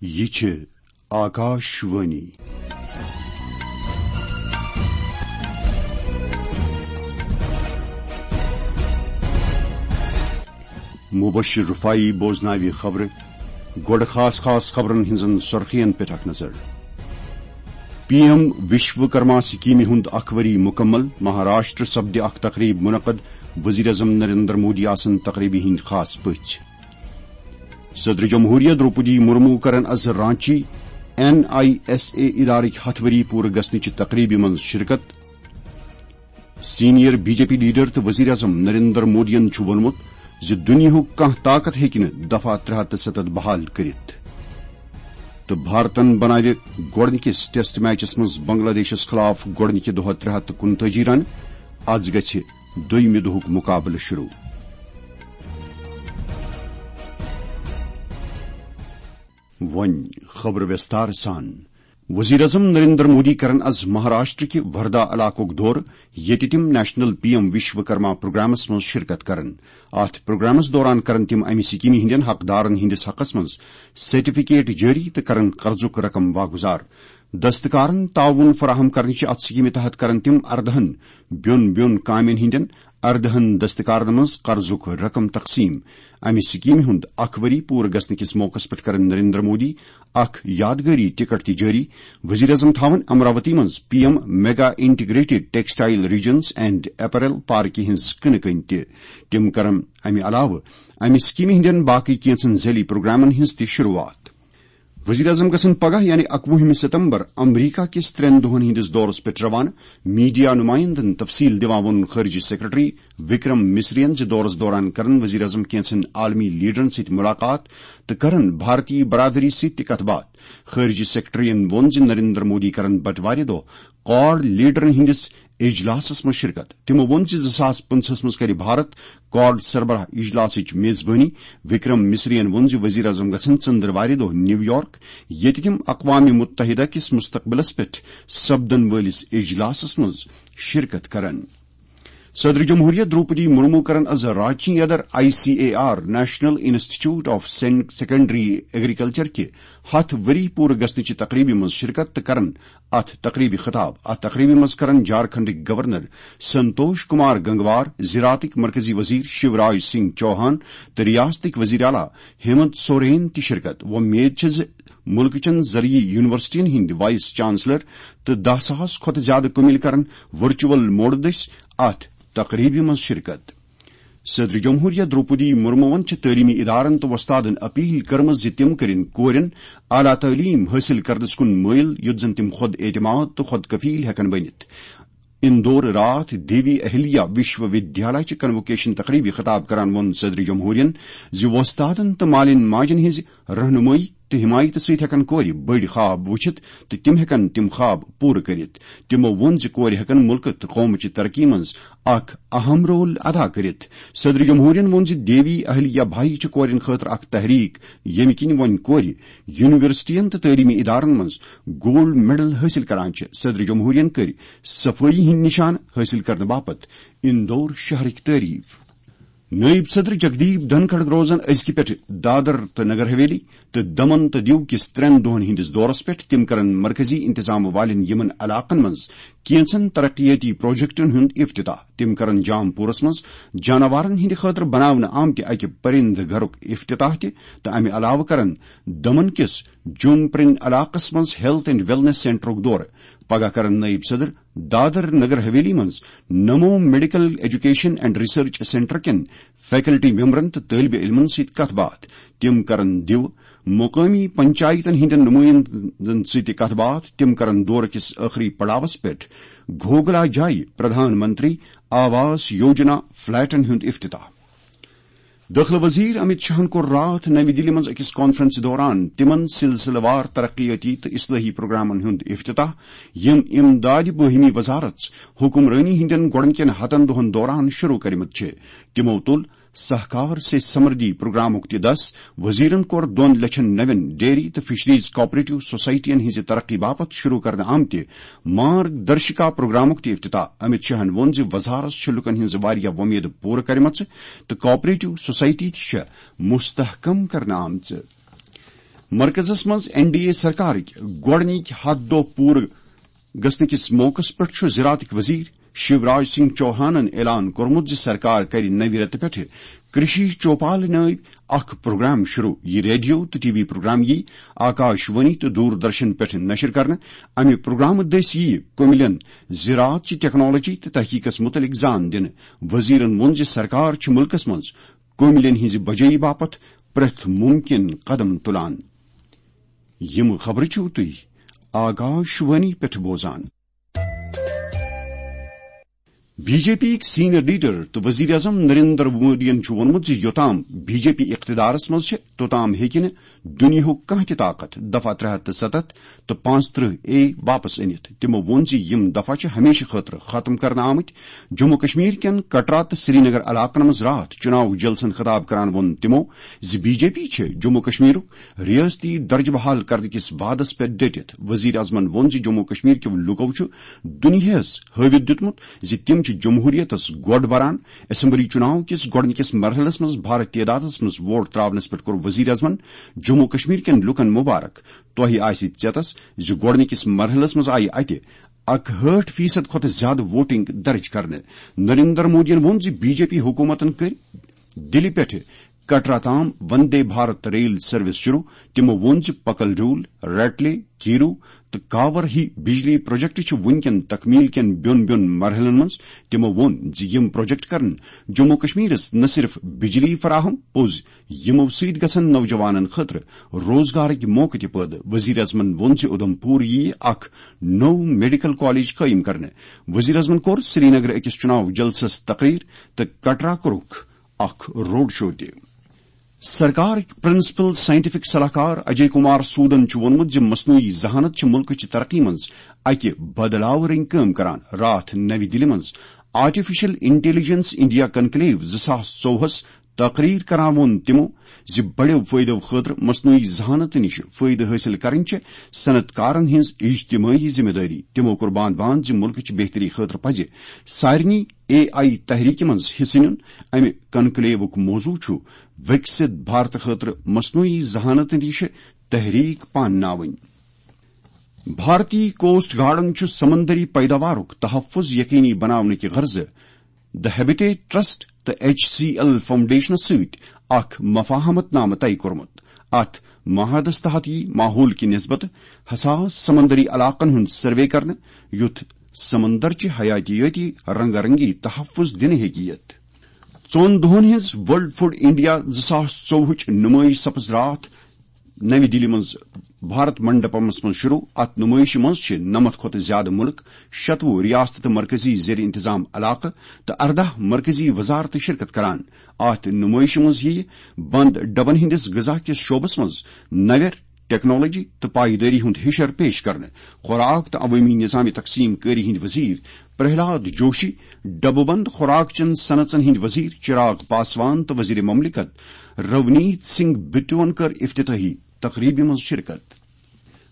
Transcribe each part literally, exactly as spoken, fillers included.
یہِ چھِ آکاش وانی۔ مبشر رفاعی بوزناوِ خبرٕ۔ گۄڈٕ خاص خاص خبرن ہٕنٛزن سرخین پٮ۪ٹھ اکھ نظر۔ پی ایم وشو کرما سکیمہِ ہُنٛد اکھ ؤری مکمل، مہاراشٹر سپدِ اکھ تقریب منعقد، وزیر اعظم نریندر مودی آسن تقریبہِ ہٕنٛدۍ خاص پٔژھۍ۔ صدر جمہوریہ دروپدی مرمو کرن از Ranchi N I S A ادارٕکۍ ہتھ ؤری پوٗرٕ گژھنٕچہِ تقریبہِ منٛز شرکت۔ Senior B J P leader تہٕ وزیر اعظم نریندر مودیَن چھُ ووٚنمُت زِ دُنیاہُک کانٛہہ طاقت ہیٚکہِ نہٕ دفعہ ترٛےٚ ہتھ تہٕ ستتھ بحال کٔرِتھ۔ تہٕ بھارتن بناوِ گۄڈٕنِکِس ٹیسٹ میچس منٛز بنگلہ دیشس خلاف گۄڈٕنِکہِ دۄہ ترٛےٚ ہتھ تہٕ کُنتٲجی رن۔ از گژھِ دوٚیمہِ دۄہُک مقابلہٕ شروع۔ وۄنۍ خبرٕ ویستار سان۔ وزیر اعظم نریندر مودی کرن از مہاراشٹر کہِ وردا علاقُک دورٕ، ییٚتہِ تِم نیشنل پی ایم وشو کرما پروگرامس منٛز شرکت کرن۔ اتھ پروگرامس دوران کرن تِم امہِ سکیمہِ ہٕنٛدٮ۪ن حقدارن ہٕنٛدِس حقس منٛز سرٹیفکیٹ جٲری تہٕ کرن قرضُک رقم واگُزار۔ دستکارن تعاون فراہم کرنٕچہِ اتھ سکیمہِ تحت کرن تِم اردہن بیوٚن بیوٚن کامٮ۪ن ہٕنٛدٮ۪ن اردہن دستکارن منٛز قرضُک رقم تقسیٖم۔ امہِ سکیمہِ ہُنٛد اکھ ؤری پوٗرٕ گژھنہٕ کِس موقعس پٮ۪ٹھ کرن نریندر مودی اکھ یادگٲری ٹکٹ تہِ جٲری۔ وزیر اعظم تھاون امراوتی منٛز P M mega integrated textile regions and apparel پارکہِ ہٕنٛز کٕنہٕ کٔنۍ تہِ۔ تِم کرن امہِ علاوٕ امہِ سکیمہِ ہٕنٛدٮ۪ن باقٕے کینٛژن ذیلی پروگرامن ہٕنٛز تہِ شروعات۔ وزیر اعظم گژھن پگاہ یعنی اکوُہمہِ ستمبر امریکہ کِس ترٛٮ۪ن دۄہن ہٕنٛدِس دورس پٮ۪ٹھ روانہٕ۔ میڈیا نمائندن تفصیل دِوان ووٚن خارجہ سیکرٹری وکرم مصرین زِ دورس دوران کرن وزیر اعظم کینٛژن عالمی لیڈرن سۭتۍ ملاقات تہٕ کرن بھارتی برادری سۭتۍ تہِ کتھ باتھ۔ خارجہ سیکرٹریَن ووٚن زِ نریندر مودی کرن بٹوارِ دۄہ کواڈ لیڈرن ہٕنٛدِس اجلاسس منٛز شرکت۔ تِمو ووٚن زِ زٕ ساس پٕنٛژٕہس منٛز کرِ بھارت کواڈ سربراہ اجلاسٕچ میزبٲنی۔ وکرم مصرین ووٚن زِ وزیر اعظم گژھن ژٔنٛدٕروارِ دۄہ نیو یارک، ییٚتہِ تِم اقوام متحدہ کِس مستقبلس پٮ۪ٹھ سپدن وٲلِس اجلاسس منٛز شرکت کرن۔ صدر جمہوریہ دروپدی مرمو کرن از رانچی اندر I C A R, national institute of secondary agriculture کہِ ہتھ ؤری پوٗرٕ گژھنٕچہِ تقریبہِ منٛز شرکت تہٕ کرن اتھ تقریبہِ خطاب۔ اتھ تقریبہِ منٛز کرن جھارکھنڈٕکۍ گورنر سنتوش کمار گنگوار، زراعتٕکۍ مرکزی وزیر شیوراج سنگھ چوہان تہٕ ریاستٕکۍ وزیر اعلیٰ ہیمنت سورین تہِ شرکت۔ وۄمید چھِ زِ مُلکہٕ چٮ۪ن زرعی یونیورسٹین ہٕنٛدۍ وائس چانسلر تہٕ دَہ ساس کھۄتہٕ زیادٕ کُمِل کرن ورچوئل موڈ دٔسۍ اتھ تقریبہِ منٛز شرکت۔ صدر جمہوریہ دروپدی مرموَن چھِ تعلیمی ادارن تہٕ وۄستادن اپیل کٔرمٕژ زِ تِم کٔرِن کورٮ۪ن اعلیٰ تعلیٖم حٲصِل کرنس کُن مٲیِل، یُتھ زن تِم خود اعتماد تہٕ خود کفیل ہٮ۪کن بٔنِتھ۔ اندور راتھ دیوی اہلیہ وشو ودیالیہ چہِ کنووکیشن تقریبہِ خطاب کران ووٚن صدر جمہوریہن زِ وۄستادن تہٕ مالٮ۪ن ماجن ہٕنٛزِ رہنمٲیی تہٕ حمایتہٕ سۭتۍ ہٮ۪کن کورِ بٔڑۍ خواب وٕچھِتھ تہٕ تِم ہٮ۪کن تِم خواب پوٗرٕ کٔرِتھ۔ تِمو ووٚن زِ کورِ ہٮ۪کن مُلکہٕ تہٕ قومٕچہِ ترقی منٛز اکھ اہم رول ادا کٔرِتھ۔ صدر جمہوریہن ووٚن زِ دیوی اہلیہ بھائی چھِ کورٮ۪ن خٲطرٕ اکھ تحریک، ییٚمہِ کِنۍ وۄنۍ کورِ یونیورسٹین تہٕ تعلیمی ادارن منٛز گولڈ میڈل حٲصِل کران چھِ۔ صدر جمہوریہن کٔرۍ صفٲیی ہٕنٛدۍ نشان حٲصِل کرنہٕ باپتھ اندور شہرٕکۍ تعریف۔ نٲیِب صدر جگدیپ دھنکھڑ روزن أزکہِ پٮ۪ٹھٕ دادر تہٕ نگر حویلی تہٕ دمن تہٕ دیو کِس ترٛٮ۪ن دۄہن ہٕنٛدِس دورس پٮ۪ٹھ۔ تِم کرن مرکزی انتظام والٮ۪ن یِمن علاقن منٛز کینژن ترقیٲتی پروجیکٹن ہُنٛد افتتاح۔ تِم کرن جام پورس منٛز جاناوارن ہٕنٛدِ خٲطرٕ بناونہٕ آمتہِ اکہِ پرندٕ گھرُک افتتاح تہِ تہٕ امہِ علاوٕ کرن دمن کِس جوم پرین علاقس منٛز ہیلتھ اینڈ ویلنس سینٹرُک دورٕ۔ پگاہ کرن نٲیِب صدر دادر نگر حویلی منٛز Namo medical education and research centre کٮ۪ن فیکلٹی ممبرن تہٕ طٲلبہِ علمن سۭتۍ کتھ باتھ۔ تِم کرن دیو مقٲمی پنچایتن ہٕنٛدٮ۪ن نُمٲیندن سۭتۍ تہِ کتھ باتھ۔ تِم کرن دورٕ کِس ٲخری پڑاوس پٮ۪ٹھ گھوگلا جایہِ پردھان منتری آواس یوجنا فلیٹن ہُنٛد افتتاح۔ دٲخلہٕ وزیر امت شاہن کوٚر راتھ نَوِ دِلہِ منٛز أکِس کانفرنسہِ دوران تِمن سلسلہٕ وار ترقیٲتی تہٕ اصلاحی پروگرامن ہُنٛد افتتاح، یِم امدادِ باہمی وزارت حکمرٲنی ہٕنٛدٮ۪ن گۄڈٕنکٮ۪ن ہتن دۄہن دوران شروع کٔرمٕتۍ چھِ۔ تِمو تُل سہکار سے سمردھی پروگرامُک تہِ دس۔ وزیرن کوٚر دۄن لچھن نوٮ۪ن ڈیری تہٕ فشریز کوآپریٹو سوسائٹین ہٕنٛزِ ترقی باپتھ شروع کرنہٕ آمتہِ مارگ درشکا پروگرامُک تہِ افتتاح۔ امت شاہن ووٚن زِ وزارت چھِ لوٗکن ہٕنٛز واریاہ وۄمید پوٗرٕ کرِمژٕ تہٕ کوآپریٹو سوسائٹی تہِ چھےٚ مستحکم کرنہٕ آمژٕ۔ مرکزس منٛز این ڈی اے سرکارٕکۍ گۄڈٕنِکۍ ہتھ دۄہ پوٗرٕ گژھنہٕ کِس موقعس پٮ۪ٹھ چھُ زراعتٕکۍ وزیر شیوراج سنگھ چوہانن اعلان کوٚرمُت زِ سرکار کرِ نوِ رٮ۪تہٕ پٮ۪ٹھٕ کرشی چوپال نٲوۍ اکھ پروگرام شروع۔ یہِ ریڈیو تہٕ ٹی وی پروگرام یی آکاش وانی تہٕ دوردرشن پٮ۪ٹھ نشر کرنہٕ۔ امہِ پروگرامہٕ دٔسۍ ییہِ کُمِلٮ۪ن زراعت چہِ ٹیکنالوجی تہٕ تحقیقس مُتعلق زان دِنہٕ۔ وزیرن ووٚن زِ سرکار چھِ مُلکس منٛز کُمِلٮ۪ن ہٕنٛزِ بجٲیی باپتھ پرٛٮ۪تھ مُمکِن قدم تُلان۔ یِم خبرٕ چھِو تُہۍ آکاش وانی پٮ۪ٹھ بوزان۔ بی جے پی یِکۍ سینئر لیڈر تہٕ وزیر اعظم نریندر مودیَن چھُ ووٚنمُت زِ یوٚتام بی جے پی اقتدارس منٛز چھِ، توٚتام ہیٚکہِ نہٕ دُنیاہُک کانٛہہ تہِ طاقت دفعہ ترٛےٚ ہتھ تہٕ ستتھ تہٕ پانٛژترٕہ اے واپس أنِتھ۔ تِمو ووٚن زِ یِم دفعہ چھِ ہمیشہٕ خٲطرٕ ختم کرنہٕ آمٕتۍ۔ جموں کشمیر کٮ۪ن کٹرا تہٕ سرینگر علاقن منٛز راتھ چُناو جلسن خطاب کران ووٚن تِمو زِ بی جے پی چھِ جموں کشمیرُک ریاستی درجہٕ بحال کرنہٕ کِس وعدس پٮ۪ٹھ ڈٔٹِتھ۔ وزیر اعظمن ووٚن زِ جموں کشمیر کٮ۪و لوٗکو چھُ دُنیاہس ہٲوِتھ دیُتمُت زِ تِم چھِ جمہوریتس گۄڈ بران۔ اسمبلی چُناو کِس گۄڈٕنِکِس مرحلس منٛز بھارٕ تعدادس منٛز ووٹ تراونس پٮ۪ٹھ کوٚر وزیر اعظمن جموں کشمیر کٮ۪ن لوٗکن مبارک۔ تۄہہِ آسہِ ژیتس زِ گۄڈٕنِکِس مرحلس منٛز آیہِ اتہِ اکہٲٹھ فیصد کھۄتہٕ زیادٕ ووٹنگ درج کرنہٕ۔ نریندر مودیَن ووٚن زِ بی جے پی حکوٗمتن کٔرۍ دِلہِ پٮ۪ٹھٕ کٹرا تام وندے بھارت ریل سروس شروع۔ تِمو ووٚن زِ پکل ڈول، رٹلے، کیرو تہٕ کاور ہی بجلی پروجیکٹ چھِ وُنکٮ۪ن تکمیل کٮ۪ن بیوٚن بیوٚن مرحلن منٛز۔ تِمو ووٚن زِ یِم پروجیکٹ کرن جموں کشمیرس نہ صرف بجلی فراہم، پوٚز یِمو سۭتۍ گژھن نوجوانن خٲطرٕ روزگارٕکۍ موقعہٕ تہِ پٲدٕ۔ وزیر اعظمن ووٚن زِ اُدھمپور یِیہِ اکھ نوٚو میڈیکل کالج قٲیِم کرنہٕ۔ وزیر اعظمن کوٚر سرینگر أکِس چُناو جلسس تقریر تہٕ کٹرا کوٚرُکھ اکھ روڈ شو تہِ۔ سرکارٕکۍ پرنسپل سائنٹیفک صلاح کار اجے کمار سودن چھُ ووٚنمُت زِ مصنوعی ذہانت چھِ مُلکٕچ ترقی منٛز اکہِ بدلاو رٔنگۍ کٲم کران۔ راتھ نَوِ دِلہِ منٛز آرٹیفیشل انٹیلیجنس انڈیا کنکلیو زٕ ساس ژوٚوُہس تقریر کران ووٚن تِمو زِ بڑٮ۪و فٲیدو خٲطرٕ مصنوعی ذہانت نِش فٲیدٕ حٲصِل کرٕنۍ چھِ صنعت کارن ہٕنٛز اجتمٲعی ذمہٕ دٲری۔ تِمو کوٚر باند باند زِ مُلکٕچ بہتری خٲطرٕ پزِ سارنٕے اے آئی تحریکہِ منٛز حصہٕ نیُن۔ امہِ کنکلیوُک موضوع چھُ وِکسِت بھارت خٲطرٕ مصنوعی ذہانت نِش تحریک پانناوٕنۍ۔ بھارتی کوسٹ گارڈن چھُ سمندری پیداوارُک تحفظ یقینی بناونہٕ کہِ غرضہٕ دی ہیبیٹیٹ ٹرسٹ تہٕ ایچ سی ایل فاؤنڈیشنس سۭتۍ اکھ مفاہمت نامہٕ طے کوٚرمُت۔ اتھ معاہدس تحت یی ماحول کہِ نسبت حساس سمندری علاقن ہُنٛد سروے کرنہٕ، یُتھ سمندر چہِ حیاتیٲتی رنگا رنگی تحفظ دِنہٕ ہیٚکہِ یِتھ۔ ژۄن دۄہن ہٕنٛز ورلڈ فوڈ انڈیا زٕ ساس ژوٚوُہٕچ نُمٲیش سپٕز راتھ نَوِ دِلہِ منٛز بھارت منڈپمس منٛز شروع۔ اتھ نُمٲیشہِ منٛز چھِ نَمَتھ کھۄتہٕ زیادٕ مُلک، شتوُہ ریاستہٕ تہٕ مرکزی زیر انتظام علاقہٕ تہٕ ارداہ مرکزی وزارتہٕ شرکت کران۔ اتھ نُمٲیشہِ منٛز یِیہِ بند ڈبن ہٕنٛدِس غذا کِس شعبس منٛز نوٮ۪ر ٹیکنالوجی تہٕ پائیدٲری ہُنٛد ہِشر پیش کرنہٕ۔ خوراک تہٕ عوٲمی نظام تقسیم کٲری ہٕنٛدۍ وزیر پرہلاد جوشی، ڈبہٕ بند خوراک چٮ۪ن صنعژن ہٕنٛدۍ وزیر چراغ پاسوان تہٕ وزیر مملکت رونیت سنگھ بٹون کٔر افتتاحی تقریبہِ منٛز شرکت۔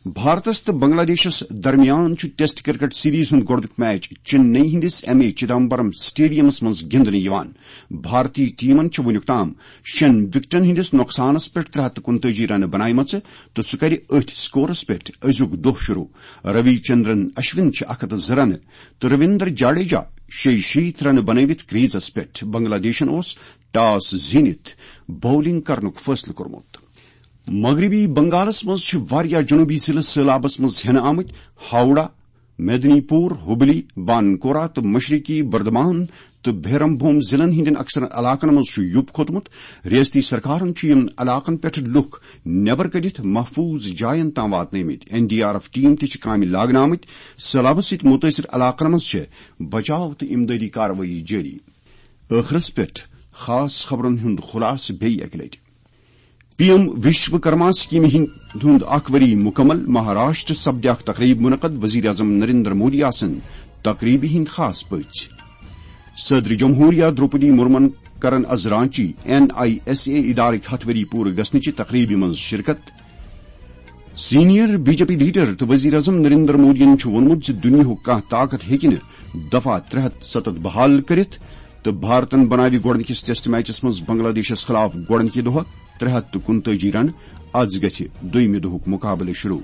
بھارتس تہٕ بنگلہ دیشس درمیان چھُ ٹیسٹ کرکٹ سیریز ہُنٛد گۄڈٕنیُک میچ چنئی ہٕنٛدِس ایم اے چدمبرم سٹیڈیمس منٛز گِنٛدنہٕ یِوان۔ بھارتی ٹیمن چھِ وُنیُک تام شٮ۪ن وکٹن ہٕنٛدِس نۄقصانس پٮ۪ٹھ ترٛےٚ ہتھ تہٕ کُنتٲجی رنہٕ بناومژٕ تہٕ سُہ کرِ أتھۍ سکورس پٮ۪ٹھ أزیُک دۄہ شروع۔ روی چندرن اشون چھِ اکھ ہتھ زٕ رنہٕ تہٕ رویندر جڈیجا شیٚیہِ شیٖتھ رنہٕ بنٲوِتھ کریزس پٮ۪ٹھ۔ بنگلہ دیشن اوس ٹاس زیٖنِتھ باؤلنگ کرنُک فٲصلہٕ کوٚرمُت۔ مغربی بنگالس منٛز چھِ واریاہ جنوبی ضلعہٕ سٔہلابس منٛز ہٮ۪نہٕ آمٕتۍ۔ ہاوڑہ، میدنی پور، ہبلی، بانکورا تہٕ مشرقی بردمان تہٕ بھیرم بھوم ضلعن ہٕنٛدٮ۪ن اکثر علاقن منٛز چھُ یُپ کھوٚتمُت۔ ریاستی سرکارن چھُ یِمن علاقن پٮ۪ٹھ لُکھ نٮ۪بر کٔڈِتھ محفوظ جاین تام واتنٲومٕتۍ۔ N D R F team تہِ چھِ کامہِ لاگنہٕ آمٕتۍ۔ سٔہلابس سۭتۍ مُتٲثر علاقن منٛز چھِ بچاو تہٕ امدادی کاروٲیی جٲری۔ ٲخرس پٮ۪ٹھ خاص خبرن ہُنٛد خلاصہٕ بیٚیہِ اکہِ لٹہِ۔ پی ایم وشوکرما سکیمہِ ہٕنٛد ہُنٛد اکھ ؤری مُکمل، مہاراشٹر سپدِ اکھ تقریب منعقد، وزیر اعظم نریندر مودی آسن تقریبہِ ہٕنٛدۍ خاص پٔژھۍ۔ صدر جمہوریہ درٛوپدی مرمن کرن از Ranchi N I S A ادارٕکۍ ہتھ ؤری پوٗرٕ گژھنٕچہِ تقریبہِ منٛز شرکت۔ Senior B J P leader تہٕ وزیر اعظم نریندر مودیَن چھُ ووٚنمُت زِ دُنیاہُک کانٛہہ طاقت ہیٚکہِ نہٕ دفعہ ترٛےٚ ہتھ ستتھ بحال کٔرِتھ تہٕ بھارتن بناوِ گۄڈٕنِکِس ٹیسٹ میچس منٛز بنگلہ دیشس خلاف گۄڈٕنِکہِ دۄہ ترٛےٚ ہتھ تہٕ کُنتٲجی رنہٕ از گژھِ دوٚیمہِ دۄہُک مقابلہٕ شروع۔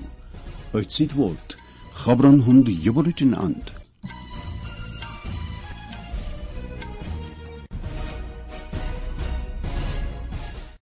أتھۍ سۭتۍ ووت خبرن ہُنٛد یہِ بُلٹن اند۔